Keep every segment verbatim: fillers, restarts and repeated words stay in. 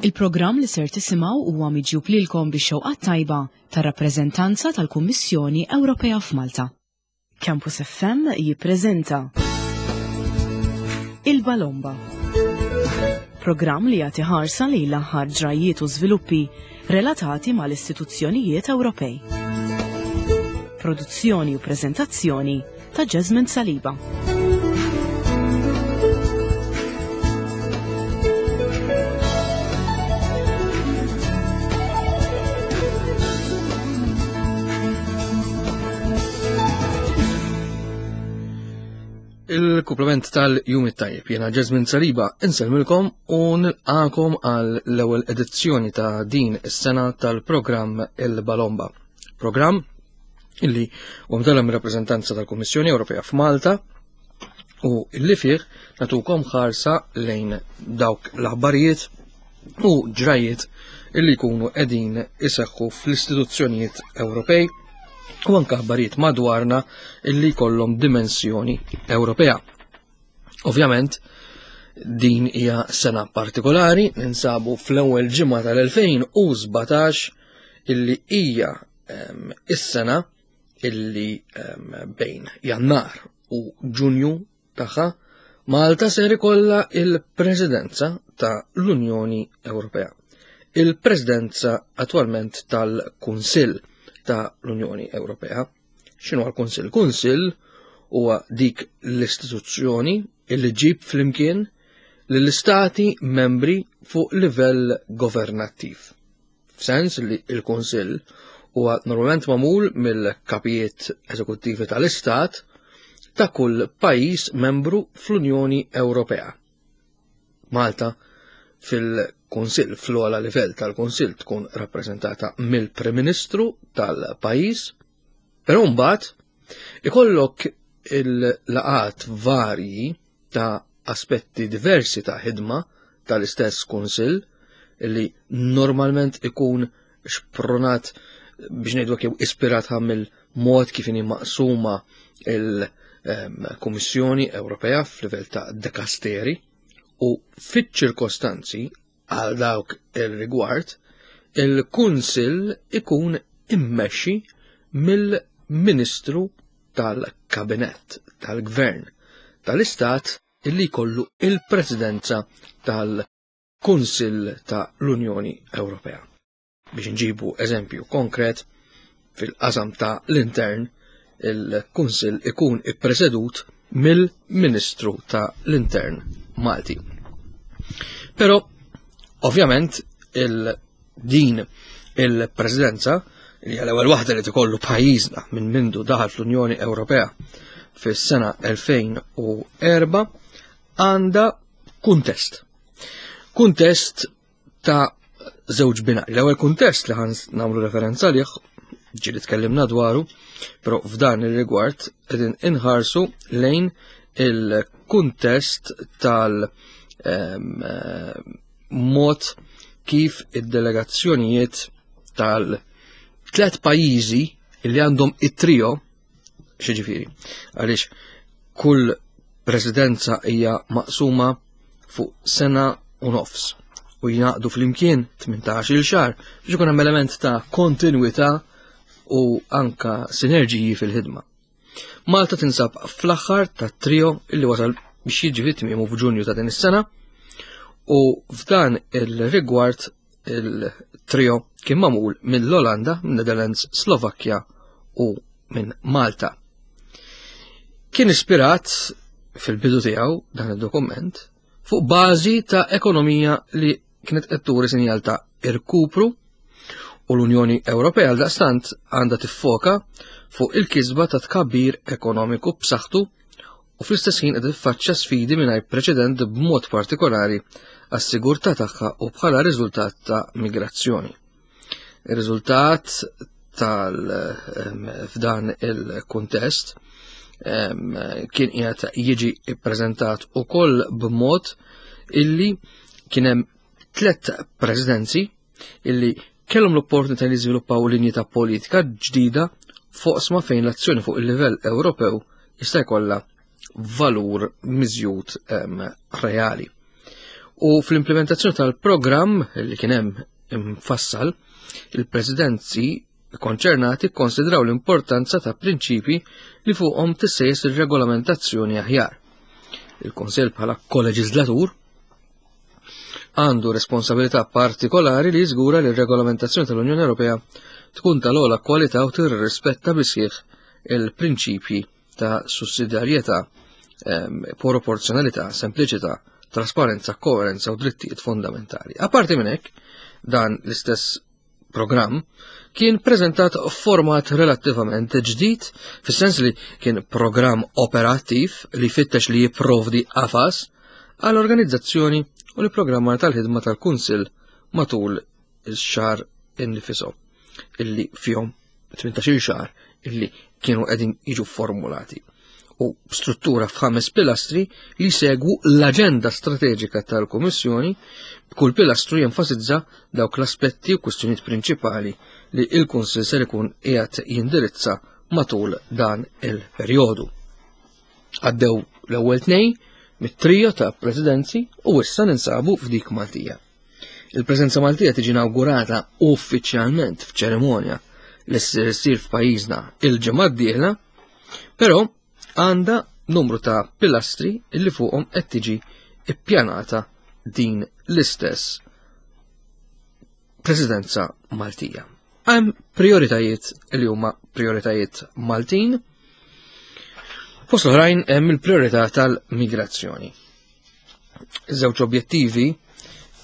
Il-programm li ser tisimgħu huwa miġjub lilkom bix-xewqa tajba tar-rappreżentanza tal-Kummissjoni Ewropea f'Malta. Campus F M jippreżenta Il-Balomba. Programm li jagħti ħarsa lejn l-aħħar ġrajiet u żviluppi relatati mal-istituzzjonijiet Ewropej. Produzzjoni u preżentazzjoni ta' Jasmine Saliba. Il-kumplament tal-jum it-tajjeb, jena Jasmine Saliba, insellmilkom u nilqakom għal l-ewwel edizzjoni ta' din is-sena tal-programm Il-Balomba. Programm illi u mdalla mir-rappreżentanza tal-Kummissjoni Ewropea f'Malta u illi fih natukom ħarsa lejn dawk l-aħbarijiet u ġrajiet illi jkunu qegħdin iseħħu fl-istituzzjonijiet Ewropej u anke aħbarijiet madwarna illi jkollhom dimensjoni Ewropea. Ovvjament, din hija sena partikolari, ninsabu fl-ewwel ġimgħa tal-elfejn u sbatax illi hija em, is-sena illi em, bejn Jannar u Ġunju tagħha Malta ser ikollha il-Presidenza ta' l-Unjoni Ewropea. Il-Presidenza attwalment tal-Kunsill ta' l-Unjoni Ewropea. X'inhu l-Kunsill? Kunsill huwa dik l-istituzzjoni illi ġib flimkien lill-istati membri fuq livell governattiv. F'sens li il-Kunsill huwa normalment magħmul mill-kapijiet eżekuttivi tal-Istat ta' kull pajjiż membru fl-Unjoni Ewropea. Malta fil-Kunsill, fl-ogħla livell tal-Kunsill, tkun rappreżentata mill-Prim Ministru tal-pajjiż, però mbagħad ikollok il-laqat varji ta' aspetti diversi ta' ħidma tal-istess Kunsill li normalment ikun xpronat, biex ngħidu jew ispirat mill-mod kif inhi maqsuma il-Kummissjoni Ewropea f'livell ta' dekasteri, u fiċ-ċirkostanzi għal dawk il-rigward il-Kunsill ikun immexxi mill-Ministru tal-Kabinett tal-Gvern tal-Istat illi jkollu il-Presidenza tal-Kunsill ta' l-Unjoni Ewropea. Biex nġibu eżempju konkret, fil-qasam ta' l-intern il-Kunsill ikun ippresedut mill-Ministru ta' l-Intern Malti. Però, ovvjament, il-din il-presidenza li għal ewwel waħda li tikollu pajjiżna minn mindu daħal fl-Unjoni Ewropea fis-sena elfejn u erbgħa għandha kuntest. Kuntest ta' żewġ binari. L-ewwel kuntest li ħan nagħmlu referenza lih ġieli tkellimna dwaru, però f'dan ir-rigward qegħdin inħarsu lejn il-kuntest tal- em, mod kif id-delegazzjonijiet tal-tlet pajjiżi li għandhom it-trio, xiġifieri, għaliex kull presidenza hija maqsuma fuq sena u nofs u jingħaqdu flimkien tmintax-il xahar biex ikun hemm element ta' kontinwità u anka sinerġiji fil-ħidma. Malta tinsab fl-aħħar ta' trio illi wasal biex jiġi fit-tmiemu f'Ġunju ta' din is-sena, u f'dan il-rigward il-trio kien magħmul mill-Olanda, minn Netherlands, Slovakkja u minn Malta. Kien ispirat fil-bidu tiegħu dan id-dokument fuq bażi ta' ekonomija li kienet qed turi sinjal ta' irkupru, u l-Unjoni Ewropea għal daqstant għandha tiffoka fuq il-kisba ta' tkabbir ekonomiku b'saħħtu u fl-istess ħin qed tiffaċċja sfidi mingħajr preċedent, b'mod partikolari għas-sigurtà tagħha u bħala riżultat ta' migrazzjoni. Ir-riżultat tal f'dan il-kuntest kien qiegħed jiġi ppreżentat ukoll b'mod illi kien hemm tliet presidenzi illi kellhom l-opportunità li jiżviluppaw linji ta' politika ġdida fuq fejn l-azzjoni fuq il-livell Ewropew jista' jkollha valur miżjud reali. U fl-implementazzjoni tal-programm li kien hemm imfassal, il-presidenzi konċernati konsidraw l-importanza ta' prinċipi li fuqhom tissejjes ir-regolamentazzjoni aħjar. Il-Kunsill bħala koleġislatur għandu responsabilità partikolari li jiżgura li r-regolamentazzjoni tal-Unjoni Ewropea tkun tal-ogħla kwalità u tirrispetta bisħieħ il-prinċipji ta' sussidjarjetà, ehm, proporzjonalità, sempliċità, trasparenza, koerenza u drittijiet fondamentali. Apparti minn hekk, dan l-istess programm kien preżentat f'format relattivament ġdid, fis-sens li kien programm operattiv li fittex li jipprovdi qafas għall-organizzazzjoni u l-programmar tal-ħidma tal-Kunsill matul ix-xahar innifiso illi fihom tmintax-il xahar illi kienu qegħdin jiġu formulati u struttura f'ħames pilastri li segwu l-aġenda strateġika tal-Kummissjoni, b'kull pilastru jenfasizza dawk l-aspetti u kwistjonijiet prinċipali li il-Kunsill ser ikun qiegħed jindirizza matul dan il-perjodu. Għaddew l-ewwel tnejn mit-trio ta' presidenzi u issa ninsabu f'dik Maltija. Il-preżenza Maltija tiġi inaugurata uffiċjalment f'ċerimonja li ssir f'pajjiżna il-ġimgħa d-dieħla, però għandha numru ta' pilastri li fuqhom qed tiġi ippjanata din l-istess presidenza Maltija. Hemm prioritajiet li huma prioritajiet Maltin. Fost l-oħrajn hemm il-priorità tal-migrazzjoni. Iż-żewġ objettivi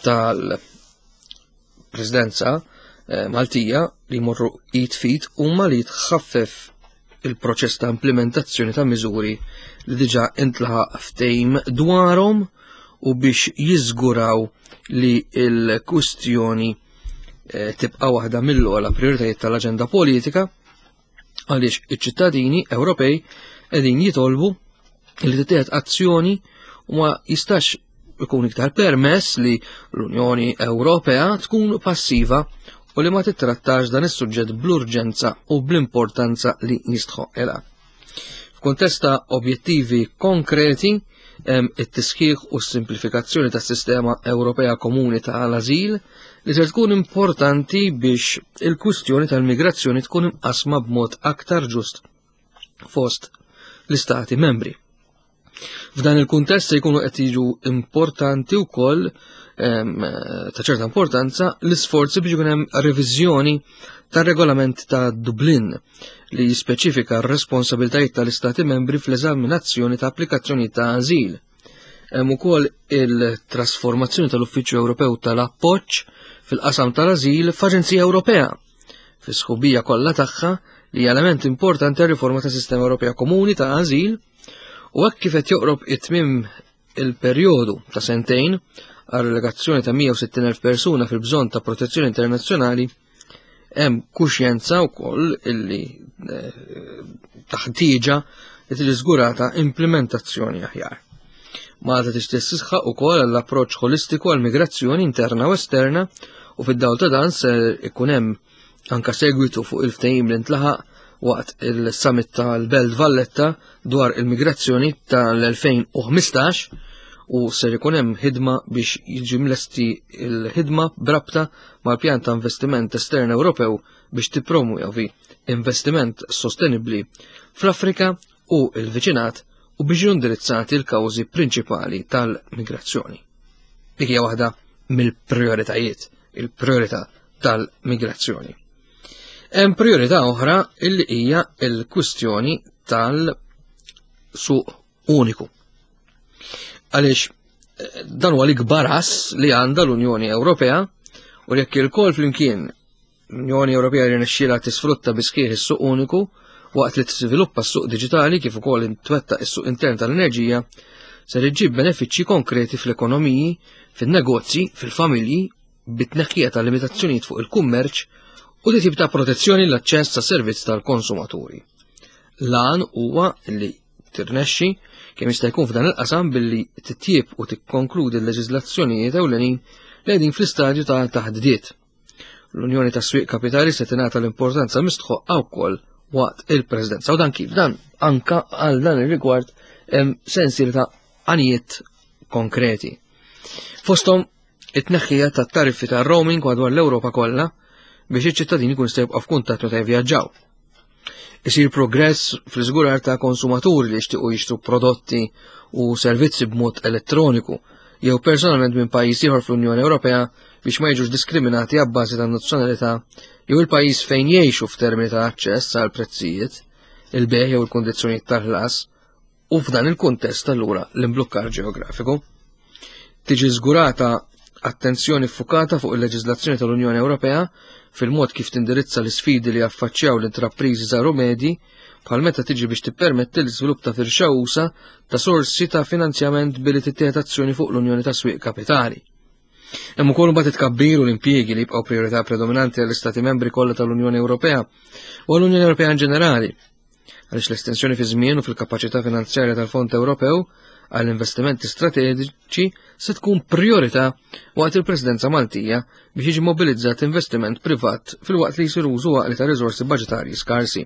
tal-presidenza eh, Maltija li jmorru id f'id huma li tħaffef il-proċess ta' implementazzjoni ta' miżuri li diġà intlaħaq ftehim dwarhom u biex jiżguraw li l-kwistjoni eh, tibqa' waħda mill-ogħla prioritajiet tal-aġenda politika, għaliex iċ-ċittadini Ewropej qegħdin jitolbu li tittieħed azzjoni u ma jistax ikun iktar permess li l-Unjoni Ewropea tkun passiva u li ma tittrattax dan is-suġġett bl-urġenza u bl-importanza li jistħoqilha. F'kuntest ta' objettivi konkreti hemm it-tisħiħ u s-simplifikazzjoni tas-sistema Ewropea Komuni tal-Ażil li se tkun importanti biex il-kwistjoni tal-migrazzjoni tkun imqasma b'mod aktar ġust fost l-istati membri. F'dan il-kuntest se jkunu qed jiġu importanti wkoll, em, ta' ċerta importanza l-isforzi biex ikun hemm reviżjoni tar-regolament ta' Dublin li jispeċifika r-responsabilitajiet tal-istati membri fl-eżaminazzjoni ta' applikazzjoni ta' ażil. Hemm ukoll il-trasformazzjoni tal-Uffiċċju Ewropew tal-Appoġġ fil-qasam tal-Ażil f'Aġenzija Ewropea fi sħubija kollha tagħha li hija element importanti għar-riforma tas-Sistema Ewropea Komuni ta' Ażil, u hekk kif qed joqrob it-tmiem il-perjodu ta' sentejn għal relegazzjoni ta' mija u sittin elf persuna fil-bżonn ta' protezzjoni internazzjonali, hemm kuxjenza wkoll illi, eh, taħtieġa li tiġi żgurata implementazzjoni aħjar. Malta tixtieq tisħaq ukoll għall-approċċ ħolistiku għall-migrazzjoni interna u esterna, u fid-dawl ta' dan se ikun hemm anka segwitu fuq il-ftehim li ntlaħaq waqt il-summit tal-Belt Valletta dwar il-migrazzjoni tal-elfejn u ħmistax, u ser ikun hemm ħidma biex jiġi mlesti l-ħidma brabta mal-pjan ta' investiment estern Ewropew biex tippromuovi investiment sostenibbli fl-Afrika u l-viċinat u biex jiġu indirizzati l-kawżi prinċipali tal-migrazzjoni. Dik hija waħda mill-prioritajiet, il-priorità tal-migrazzjoni. Hemm priorità oħra illi hija l-kwistjoni tal-suq uniku. Għaliex, eh, dan huwa l-ikbar ass li għandha l-Unjoni Ewropea, u jekk il-kol flimkien l-Unjoni Ewropea rnexxielha tisfrutta bi sħiħ is-suq uniku waqt li tiżviluppa s-suq diġitali kif ukoll intwetta s-suq intern tal-enerġija, ser iġġib benefiċċji konkreti fl-ekonomiji, fin-negozji, fil-familji, bit-tneħħija ta' limitazzjonijiet fuq il-kummerċ u di tip ta' protezzjoni l-aċċess ta' servizz tal-konsumaturi. L-għan huwa li tirnexxi kemm jista' jkun f'dan il-qasam billi titjieb u tikkonkludi l-leġiżlazzjonijiet ewlenin li qegħdin fl-istadju ta' taħdidiet. L-Unjoni tas-Swieq Kapitali se tingħata l-importanza mistħoqqa wkoll waqt il-Presidenza. U dan kif? Dan anka għal dan ir-rigward hemm sensiela ta' għanijiet konkreti. Fosthom it-tneħħija tat-tariffi tar-roaming madwar l-Ewropa kollha biex iċ-ċittadini jkun jistgħu jibqgħu f'kuntatt meta jivvjaġġaw. Isir progress fl-iżgurar ta' konsumaturi li jixtiequ jixtru prodotti u servizzi b'mod elettroniku jew personalment minn pajjiż ieħor fl-Unjoni Ewropea biex ma jiġux diskriminati abbażi ta' nazzjonalità jew il-pajjiż fejn jgħixu f'termini ta' aċċess għal prezzijiet, il-bejgħ jew il-kundizzjonijiet tal-ħlas u f'dan il-kuntest allura l-imblukkar ġeografiku. Tiġi żgurata attenzjoni ffukata fuq il-leġiżlazzjoni tal-Unjoni Ewropea fil-mod kif tindirizza l-isfidi li jaffaċċjaw l-intrapriżi żgħar u medji bħal meta tiġi biex tippermetti l-iżvilupp ta' firxa usa ta' sorsi ta' finanzjament billi tittieħed azzjoni fuq l-Unjoni ta' Swieq Kapitali. Hemm ukoll imbagħad it-tkabbir u l-impjiegi li jibqgħu priorità predominanti għall-Istati Membri kollha tal-Unjoni Ewropea u għall-Unjoni Ewropea in ġenerali. Għaliex l-estensjoni fi żmien u fil-kapaċità finanzjarja tal-Fond Ewropew għall investimenti strateġiċi se tkun priorità waqt il-Presidenza Maltija biex jiġi mobilizzat investiment privat filwaqt li jsir użu għaqli ta' riżorsi baġitarji skarsi.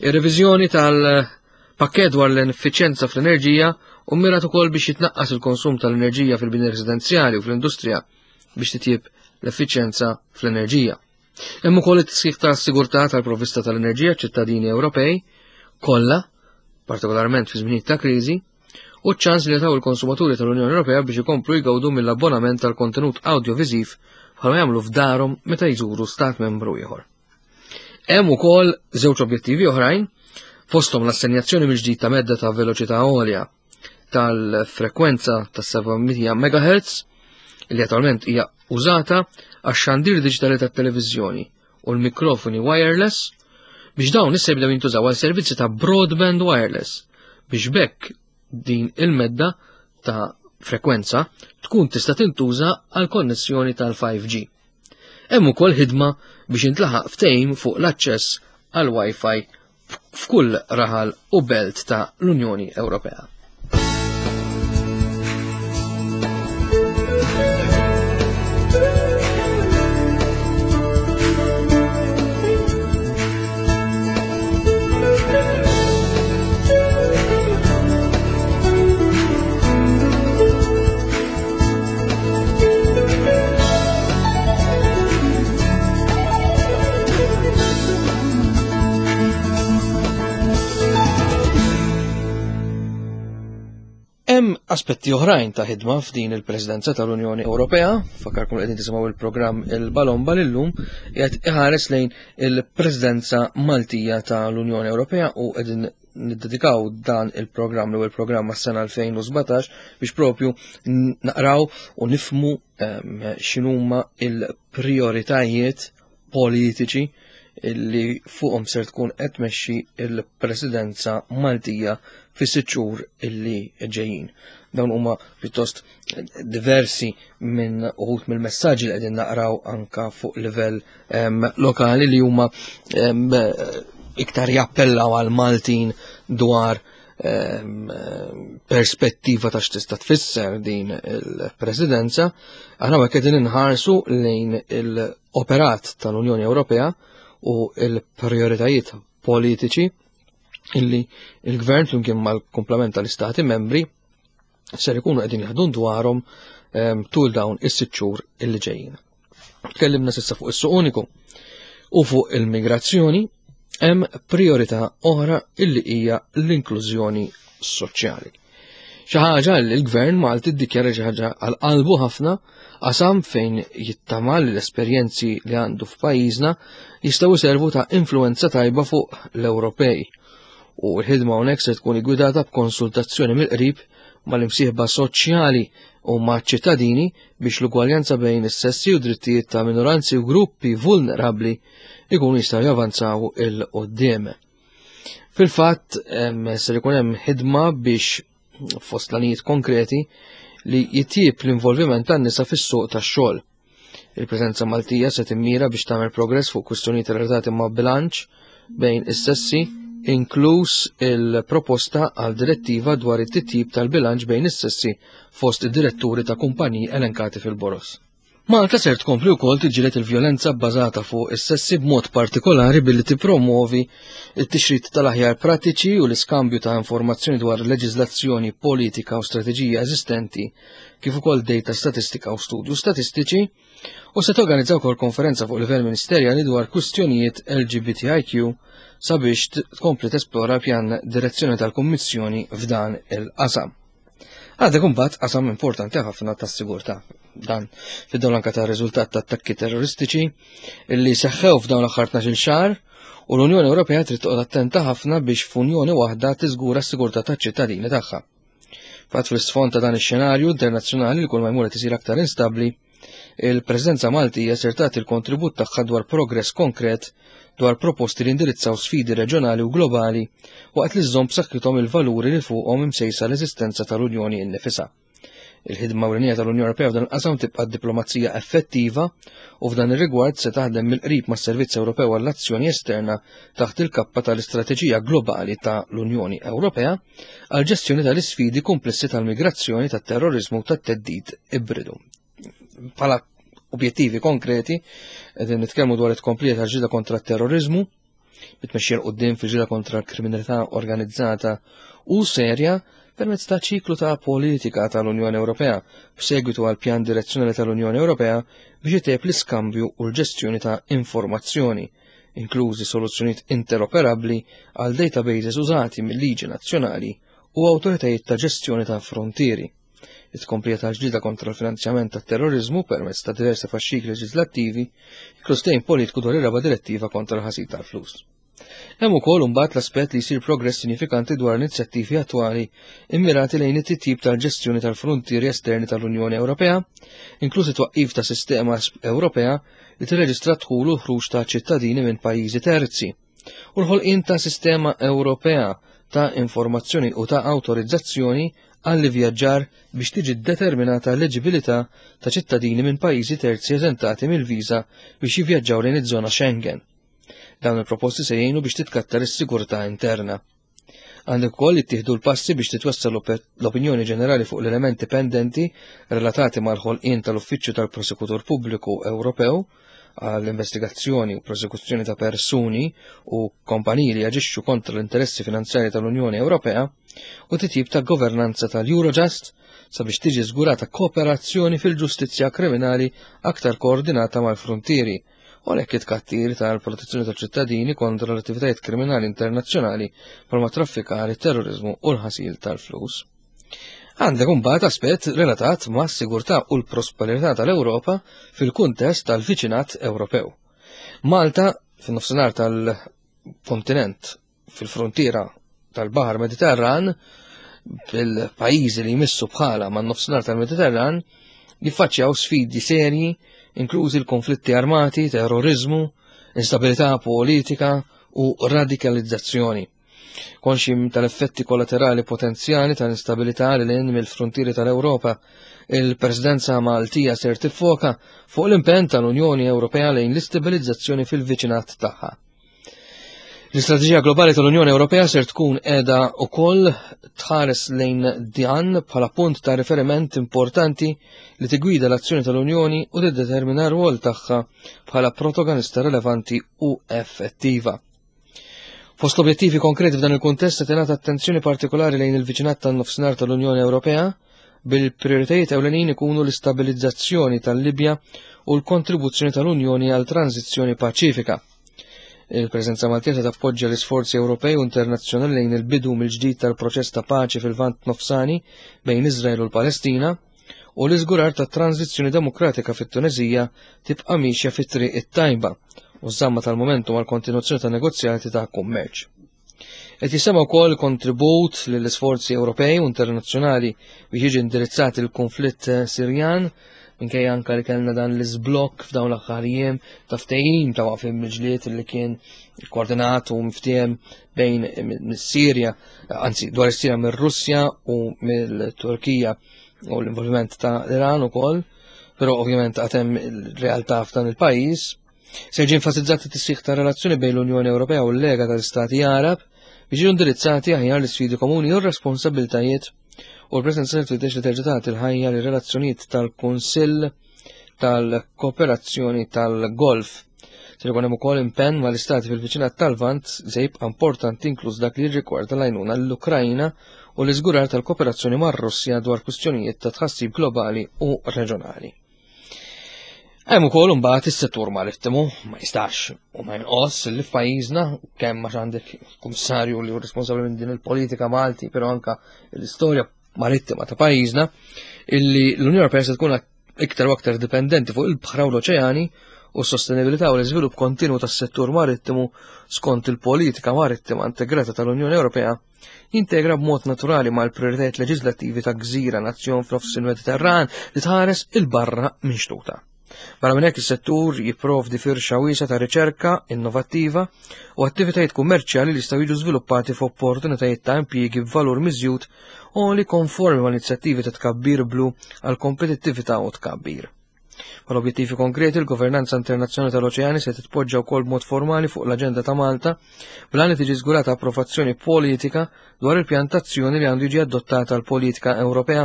Ir-reviżjoni tal-pakkett dwar l-effiċjenza fl-enerġija u mmirat ukoll biex jitnaqqas il-konsum tal-enerġija fil-bini residenzjali u fl-industrija biex titjib l-effiċjenza fl-enerġija. Hemm ukoll it-tisħiħ ta' sigurtà tal-provvista tal-enerġija ċittadini Ewropej kollha, partikolarment fi żminijiet ta' kriżi, u ċ-ċans li jtaw il-konsumaturi tal-Unjoni Ewropea biex ikomplu jgawdu mill-abbonament tal-kontenut audiovisiv bħalma jagħmlu f'darhom meta jżuru stat membru ieħor. Hemm ukoll żewġ objettivi oħrajn, fosthom l-assenjazzjoni mill-ġdid ta' medda ta' veloċità għolja tal-frekwenza ta' seba' mija megahertz li attualment hija użata għax-xandir diġitali tat-televiżjoni u l-mikrofoni wireless biex dawn issa jibdew jintużaw għal servizzi ta' broadband wireless biex b'hekk din il-medda ta' frekwenza tkun tista' tintuża għal konnessjoni tal-five G. Hemm ukoll ħidma biex intlaħaq ftehim fuq l-aċċess għal Wi-Fi f'kull raħal u belt ta' l-Unjoni Ewropea. Hemm aspetti oħrajn ta' ħidma f'din il-Presidenza tal-Unjoni Ewropea, fakkarkom qegħdin tisimgħu il-programm Il-Balomba lillum qiegħed iħares lejn il-Presidenza Maltija tal-Unjoni Ewropea u qegħdin niddedikaw dan il-programm l il-programm għas-sena elfejn u sbatax biex propju naqraw u nifmu x'inhuma il-prioritajiet politiċi illi fuqhom ser tkun qed tmexxi il-Presidenza Maltija fis-sitt xhur illi ġejjin. Dawn huma pjuttost diversi minn uħud mill-messaġġi li qegħdin naqraw anka fuq livell lokali li huma iktar jappellaw għal Maltin dwar perspettiva ta' x'tista' tfisser din il-presidenza. Aħna hekk qegħdin inħarsu lejn il-operat tal-Unjoni Ewropea u il-prioritajiet politiċi illi il-gvern flimkien mal-komplement tal-istati membri ser ikunu qegħdin jaħdmu dwarhom tul dawn is-sitt xhur illi ġejjin. Tkellimna s'issa fuq is-suq uniku u fuq il-migrazzjoni, hemm priorità oħra illi hija l-inklużjoni soċjali. Xi ħaġa li l-Gvern Malti ddikjara xi ħaġa għal qalbu ħafna, qasam fejn jittama li l-esperjenzi li għandu f'pajjiżna jistgħu jservu ta' influenza tajba fuq l-Ewropej. U l-ħidma hawnhekk se tkun iggwidata b'konsultazzjoni mill-qrib mal-imsieħba soċjali u ma' ċittadini biex l-ugwaljanza bejn is-sessi u drittijiet ta' minoranzi u gruppi vulnerabbli ikunu jistgħu javanzaw 'il quddiem. Fil-fatt, ser ikun hemm ħidma biex fost l konkreti li jitjib l-involviment tan-nisa fis-suq tax-xogħol. Il-preżenza Maltija se timmira biex tagħmel progress fuq kwistjonijiet relatati ma' bilanċ bejn is-sessi, inkluż il-proposta għal direttiva dwar it-titjib tal-bilanċ bejn is-sessi fost id-diretturi ta' kumpaniji elenkati fil-boroż. Malta ser tkompli wkoll tiġġieled il-vjolenza bbażata fuq is-sessi, b'mod partikolari billi tippromovi t-tixrid tal-aħjar prattiċi u l-iskambju ta' informazzjoni dwar leġiżlazzjoni, politika u strateġija eżistenti, kif ukoll data statistika u studju statistiċi, u se torganizza wkoll konferenza fuq livell ministerjali dwar kwistjonijiet L G B T I Q sabiex tkompli tesplora pjan direzzjoni tal-Kummissjoni f'dan il-qasam. Għandek imbagħad qasam importanti ħafna tas-sigurtà. Dan fid-dawl anka ta' riżultat ta' attakki terroristiċi illi seħħew f'dawn l-aħħar tnax-il xahar, u l-Unjoni Ewropea trid toqgħod attenta ħafna biex f'unjoni waħda tiżgura s-sigurtà taċ-ċittadini tagħha. Fatt fl-isfond ta' dan ix-xenarju internazzjonali li kull ma jmur qed isir aktar instabbli, il-Presidenza Maltija ser tagħti l-kontribut tagħha dwar progress konkret dwar proposti li indirizzaw sfidi reġjonali u globali waqt li żżomm b'saħħithom il-valuri li fuqhom imsejsa l-eżistenza tal-Unjoni innifisha. Il-ħidma ewlenija tal-Unjoni Ewropea f'dan il-qasam tibqa' diplomazija effettiva u f'dan ir-rigward se taħdem mill-qrib mas-Servizz Ewropew għall-Azzjoni Esterna taħt il-kappa tal-Istrateġija Globali ta' l-Unjoni Ewropea għal ġestjoni tal-isfidi komplessi tal-migrazzjoni, tat-terrorizmu u tat-theddid ibridu. Bħala objettivi konkreti, qegħdin nitkellmu dwar it-tkomplija tal-ġlieda kontra t-terrorizmu, bit-tmexxija 'l quddiem fil-ġlieda kontra l-kriminalità organizzata u serja permezz ta' ċiklu ta' politika tal-Unjoni Ewropea b'segwitu għal pjan direzzjonali tal-Unjoni Ewropea biex itejjeb l-iskambju u l-ġestjoni ta' informazzjoni, inklużi soluzzjonijiet interoperabbli għal databases użati mill-liġi nazzjonali u awtoritajiet ta' ġestjoni ta' frontieri. It-tkomplija ta' ġlieda kontra l-finanzjament tat terrorizmu permezz ta' diversi faxxikli leġislattivi, inkluż ftehim politiku dwar ir-raba' direttiva kontra l-ħasil tal-flus. Hemm ukoll imbagħad l-aspett li jsir progress sinifikanti dwar inizjattivi attwali immirati lejn it-titjib tal-ġestjoni tal-frontieri esterni tal-Unjoni Ewropea, inkluż it-twaqqif ta' sistema Ewropea li tirreġistra dħul u ħruġ ta' ċittadini minn pajjiżi terzi u l-ħolqien ta' sistema Ewropea ta' informazzjoni u ta' awtorizzazzjoni għall-vjaġġar biex tiġi determinata l-eliġibilità ta' ċittadini minn pajjiżi terzi eżentati mill-viża biex jivvjaġġaw lejn iż-żona Schengen. Dawn il-proposti se jgħinu biex titkattar is-sigurtà interna. Għandek ukoll jittieħdu l-passi biex titwessal l-opinjoni ġenerali fuq l-elementi pendenti relatati mal-ħolqien tal-Uffiċċju tal-Prosekutur Pubbliku Ewropew għall-investigazzjoni u prosekuzzjoni ta' persuni u kompaniji li jaġixxu kontra l-interessi finanzjari tal-Unjoni Ewropea u titjib ta' governanza tal-Eurojust sabiex tiġi żgurata kooperazzjoni fil-ġustizzja kriminali aktar koordinata mal-frontieri u għalhekk it-tkattir tal-protezzjoni tal-ċittadini kontra l-attivitajiet kriminali internazzjonali bħalma traffikar, terrorizmu u l-ħasil tal-flus. Għandek imbagħad aspett relatat ma' sigurtà u l-prosperità tal-Ewropa fil-kuntest tal-viċinat Ewropew. Malta, fin-nofsinhar tal-kontinent, fil-frontiera tal-Baħar Mediterran, fil-pajjiżi li jmissu bħala man nofsinhar tal-Mediterran, jiffaċċjaw sfidi serji, inklużi l-konflitti armati, terrorizmu, instabilità politika u radikalizzazzjoni. Konxi tal-effetti kollaterali potenzjali tal-instabilità lil hinn mill-frontieri tal-Ewropa, il-Presidenza Maltija ser tiffoka fuq l-impenn tal-Unjoni Ewropea lejn l-istabilizzazzjoni fil-viċinat tagħha. L-istrateġija globali tal-Unjoni Ewropea ser tkun qiegħda wkoll tħares lejn dan bħala punt ta' riferiment importanti li tigwida l-azzjoni tal-Unjoni u tiddetermina r-rwol tagħha bħala protagonista relevanti u effettiva. Fost l-objettivi konkreti f'dan il-kuntest se tingħata attenzjoni partikolari lejn il-viċinat tan-nofsinhar tal-Unjoni Ewropea, bil-prioritajiet ewlenin ikunu l-istabilizzazzjoni tal-Libja u l-kontribuzzjoni tal-Unjoni għal tranzizzjoni paċifika. Il-preżenza Maltija se tappoġġja l-isforzi Ewropej u internazzjonali lejn il-bidu mill-ġdid tal-proċess ta' paċi fil-Lvant Nofsani bejn Iżrael u l-Palestina u l-iżgurar ta' tranzizzjoni demokratika fit-Tunezija tibqa' miexja fit-triq it-tajba u żamma tal-momentum għal kontinuazzjoni ta' negozjati ta' kummerċ. Qed jisema wkoll kontribut lill-isforzi Ewropej u internazzjonali biex jiġi indirizzat il-konflitt Sirjan, minkejja anka li kellna dan l-iżblokk f'dawn l-aħħar jiem ta' ftehim ta' waqfien mill-ġlied li kien koordinat u miftiehem bejn mis-Sirja, anzi dwar is-Sirja mir-Russja u mill-Turkija u l-involviment ta' l-Iran ukoll, però ovvjament għad hemm il-realtà f'dan il-pajjiż. Se jiġi enfasizzat it-tisħiħ ta' relazzjoni bejn l-Unjoni Ewropea u l-Lega tal-Istati Arab biex jiġu indirizzati aħjar l-isfidi komuni u r-responsabbiltajiet, u l-preżenza li tfittex li terġa' tagħti l-ħajja li relazzjonijiet tal-Kunsill tal-kooperazzjoni tal-Golf. Se jkun hemm ukoll impenn mal-istati fil-viċinat tal-Lvant se jibqa' importanti, inkluż dak li jirrigwarda l-għajnuna l-Ukrajna u l-iżgurar tal-kooperazzjoni mar-Russja dwar kwistjonijiet ta' tħassib globali u reġjonali. Hemm ukoll imbagħad is-settur marittimu. Ma jistax u ma jonqos li f'pajjiżna, kemm għax għandek kummissarju li hu responsabbli minn din il-politika Malti, però anka l-istorja marittima ta' pajjiżna, illi l-Unjoni Ewropea se tkun iktar u aktar dipendenti fuq il-bħra u l-oċeani, u s-sostenibilità u l-iżvilupp kontinu tas-settur marittimu skont il-politika marittima integrata tal-Unjoni Ewropea jintegra b'mod naturali mal-prioritajiet leġislattivi ta' gżira nazzjon f'nofs il-Mediterran li tħares 'il barra minn xtutha. Barra minn hekk, is-settur jipprovdi firxa wiesgħa ta' riċerka innovattiva u attivitajiet kummerċjali li jistgħu jiġu żviluppati f'opportunitajiet ta' impjiegi b'valur miżjud u li konformi mal inizjattivi ta' tkabbir blu għal kompetittività u tkabbir. Bħal objettivi konkreti, il-governanza internazzjonali tal-oċeani se titpoġġa wkoll b'mod formali fuq l-aġenda ta' Malta, bl li tiġi żgurata approvazzjoni politika dwar il-pjantazzjoni li għandu jiġi adottata l-politika Ewropea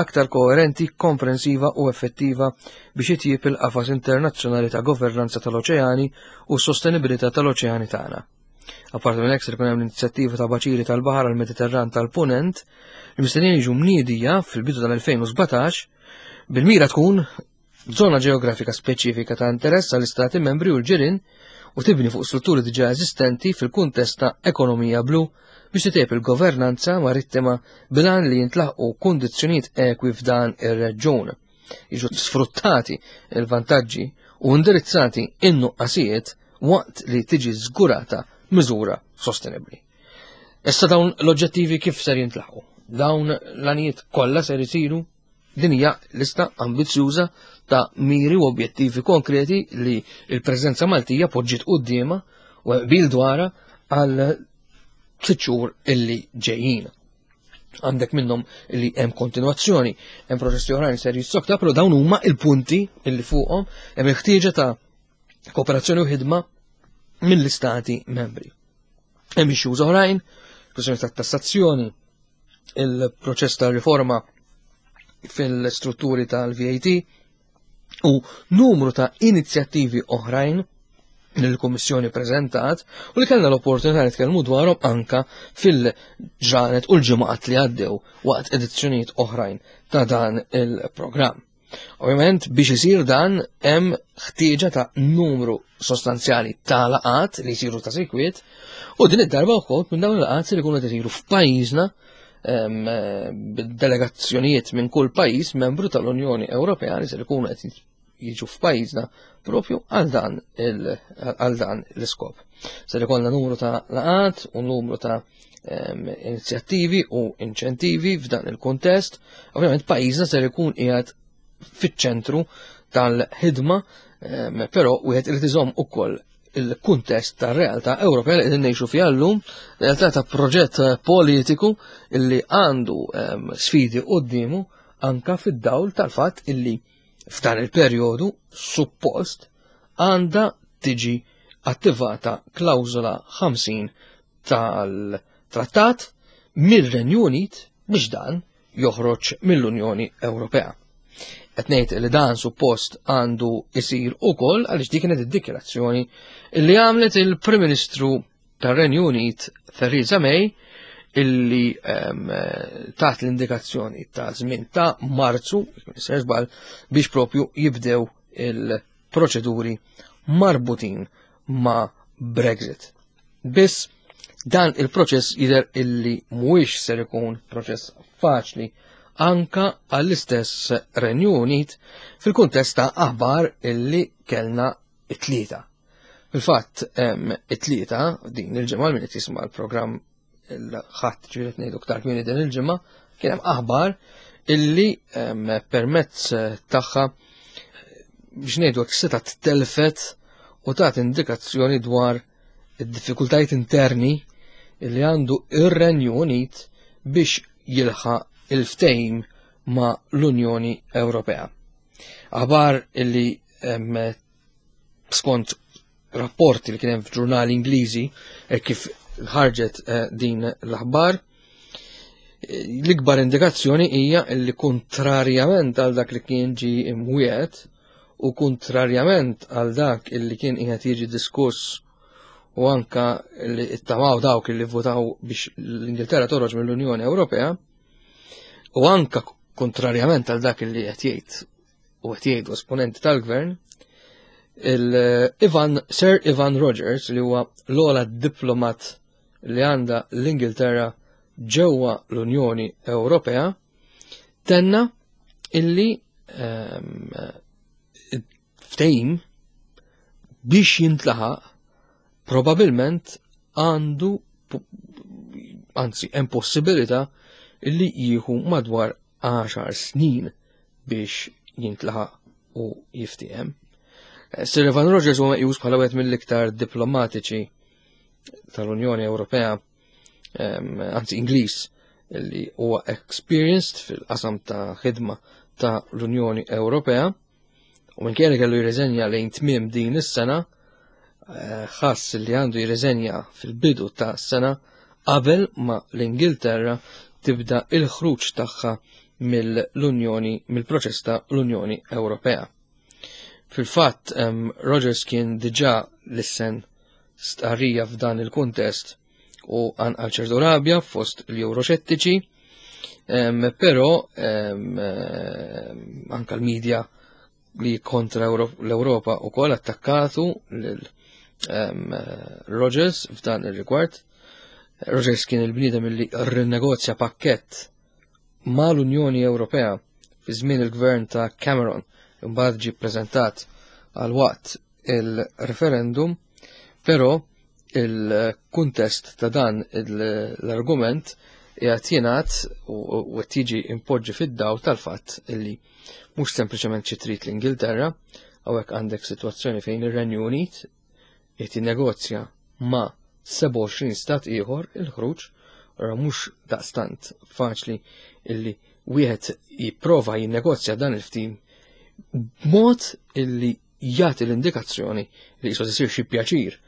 aktar koerenti, komprensiva u effettiva biex itjib il-qafas internazzjonali ta' governanza tal-oċeani u s-sostenibilità tal-oċeani tagħna. Apparti minn hekk, se jkun hemm l-inizjattiva ta' baċiri tal-baħar għall-Mediterran tal-Punent li mistennijin jiġu mniedija fil-bidu tal-elfejn u sbatax, bil-mira tkun zona ġeografika speċifika ta' interess għall-Istati membri u l-ġirien u tibni fuq strutturi diġà eżistenti fil-kuntest ta' ekonomija blu biex titjeb il-governanza marittima bil-għan li jintlaħqu kundizzjonijiet ekwi f'dan ir-reġjun, jiġu sfruttati il-vantaġġi u indirizzati in-nuqqasijiet waqt li tiġi żgurata miżura sostenibli. Issa, dawn l-oġġettivi kif ser jintlaħqu? Dawn l-għanijiet kollha ser isiru? Din hija lista ambizzjuża ta' miri u objettivi konkreti li il-Presidenza Maltija poġġiet quddiemha u qbil dwarha għal sitt xhur illi ġejjin. Għandek minnhom li hemm kontinuazzjoni, hemm proċessi oħrajn ser jissokta, però dawn huma il-punti illi fuqhom hemm il-ħtieġa ta' kooperazzjoni u ħidma mill-istati membri. Hemm issues oħrajn, kwestjoni ta' tassazzjoni, il-proċess ta' riforma fil-strutturi tal-V A T u numru ta' inizjattivi oħrajn li l-Kummissjoni prezentat u li kellna l-opportunità nitkellmu dwarhom anka fil-ġranet u l-ġimgħat li għaddew waqt edizzjonijiet oħrajn ta' dan il-programm. Ovvjament, biex isir dan hemm ħtieġa ta' numru sostanzjali ta' laqat li jsiru ta' sikwit, u din id-darba wkoll minn dawn il-laqat li jkunu qed isiru f'pajjiżna b'delegazzjonijiet minn kull pajjiż membru tal-Unjoni Ewropea li se jkunu qed jiġu f'pajjiżna propju għal dan għal dan l-iskop. Se jkollna numru ta' laqat u numru ta' inizjattivi u inċentivi f'dan il-kontest. Ovvjament, pajjiżna ser ikun qiegħed fiċ-ċentru tal-ħidma, però wieħed irid iżomm ukoll il-kuntest ta' realtà Ewropea li qegħdin ngħixu fiha llum, realtà ta' proġett politiku illi għandu sfidi quddiemu, anka fid-dawl tal-fatt illi f'dan il-perjodu suppost għandha tiġi attivata klawżola ħamsin tal-trattat mir-Renju Unit biex dan joħroġ mill-Unjoni Ewropea. Qed ngħid li dan suppost għandu isir ukoll għaliex dik kienet id-dikjarazzjoni li għamlet il-Prim Ministru tar-Renju Unit Theresa May, illi taħt l-indikazzjoni ta' żmien ta' Marzu, żball, biex propju jibdew il-proċeduri marbutin ma' Brexit. Biss dan il-proċess jidher illi mhuwiex ser ikun proċess faċli anka għall-istess Renju Unit fil-kuntest ta' aħbar illi kellna it-Tlieta. Fil-fatt, it-Tlieta din il-ġimgħa, min qed jisma' l-programm il-Ħadd, ġifieri ngħidu ktar kmieni din il-ġimgħa, kien hemm aħbar illi permezz tagħha, biex ngħidu hekk, seta' telfet u tat indikazzjoni dwar id-diffikultajiet interni illi għandu ir-Renju Unit biex jilħaq il-ftehim ma' l-Unjoni Ewropea. Aħbar illi skont rapporti li kien hemm f'ġurnali Ingliżi, e kif ħarġet eh, din l-aħbar, l-ikbar indikazzjoni hija li kontrarjament għal dak li kien ġi imwiet U kontrarjament għal dak illi kien qiegħed jiġi diskuss u anka li ittamaw dawk illi votaw biex l-Ingilterra toħroġ mill-Unjoni Ewropea, u anka kontrarjament għal dak illi qed jgħid u qed jgħidu esponenti tal-gvern, il-Ivan, Sir Ivan Rogers, li huwa l-ogħla diplomat li għandha l-Ingilterra ġewwa l-Unjoni Ewropea, tenna illi ehm, ftehim biex jintlaħaq probabilment għandu, anzi hemm possibilità illi jieħu madwar għaxar snin biex jintlaħaq u jiftiehem. Sir Ivan Rogers huwa meqjus bħala wieħed mill-iktar diplomatiċi tal-Unjoni Ewropea, anzi Ingliż, li huwa experienced fil-qasam ta' ħidma ta' l-Unjoni Ewropea, u minkejja li kellu jirriżenja lejn tmiem din is-sena, ħass li għandu jirriżenja fil-bidu ta' sena qabel ma l-Ingilterra tibda il-ħruġ tagħha mill-Unjoni, mill-proċess ta' l-Unjoni Ewropea. Fil-fatt, Rogers kien diġà lissen stqarrija f'dan il-kuntest u għal ċertu rabja fost l-Euroxettiċi, però anka l-medja li kontra l-Ewropa u kol attakkatu lil Rogers f'dan il-rigward. Rogers kien il-bniedem li rrinegozja pakkett mal-Unjoni Ewropea fi żmien il-gvern ta' Cameron, imbagħad ġie ppreżentat għal waqt il-referendum, però il-kuntest ta' dan l-argument qiegħed jingħad u qed jiġi impoġġi fid-dawl tal-fatt illi mhux sempliċement xi trid l-Ingilterra, hawnhekk għandek sitwazzjoni fejn ir-Renju Unit qed jinnegozja ma' sebgħa u għoxrin stat ieħor il-ħruġ, ora mhux daqstant faċli illi wieħed jipprova jinnegozja dan il-ftehim b'mod illi jagħti l-indikazzjoni li qisu isir xi pjaċir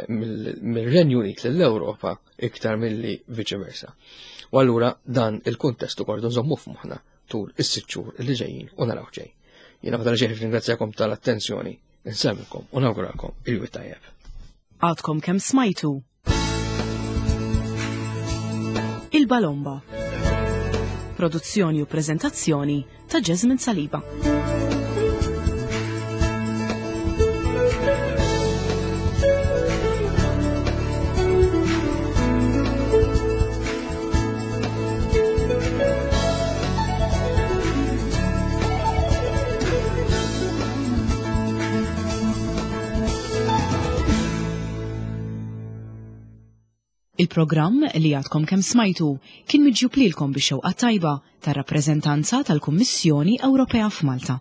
mill-Renju Unit lill-Ewropa iktar milli viċi versa. U allura dan il-kuntest ukoll nżommu f'moħħna tul is-sitt xhur li ġejjin u naraw ġej. Jiena fadal ġej ringrazzjakom tal-attenzjoni, insemmilkom u nawguralkom il-jum tajjeb. Għadkom kemm smajtu Il-Balomba. Produzzjoni u preżentazzjoni ta' Jasmine Saliba. Il-programm li għadkom kemm smajtu kien miġjub lilkom bix-xewqa tajba tar-rappreżentanza tal-Kummissjoni Ewropea f'Malta.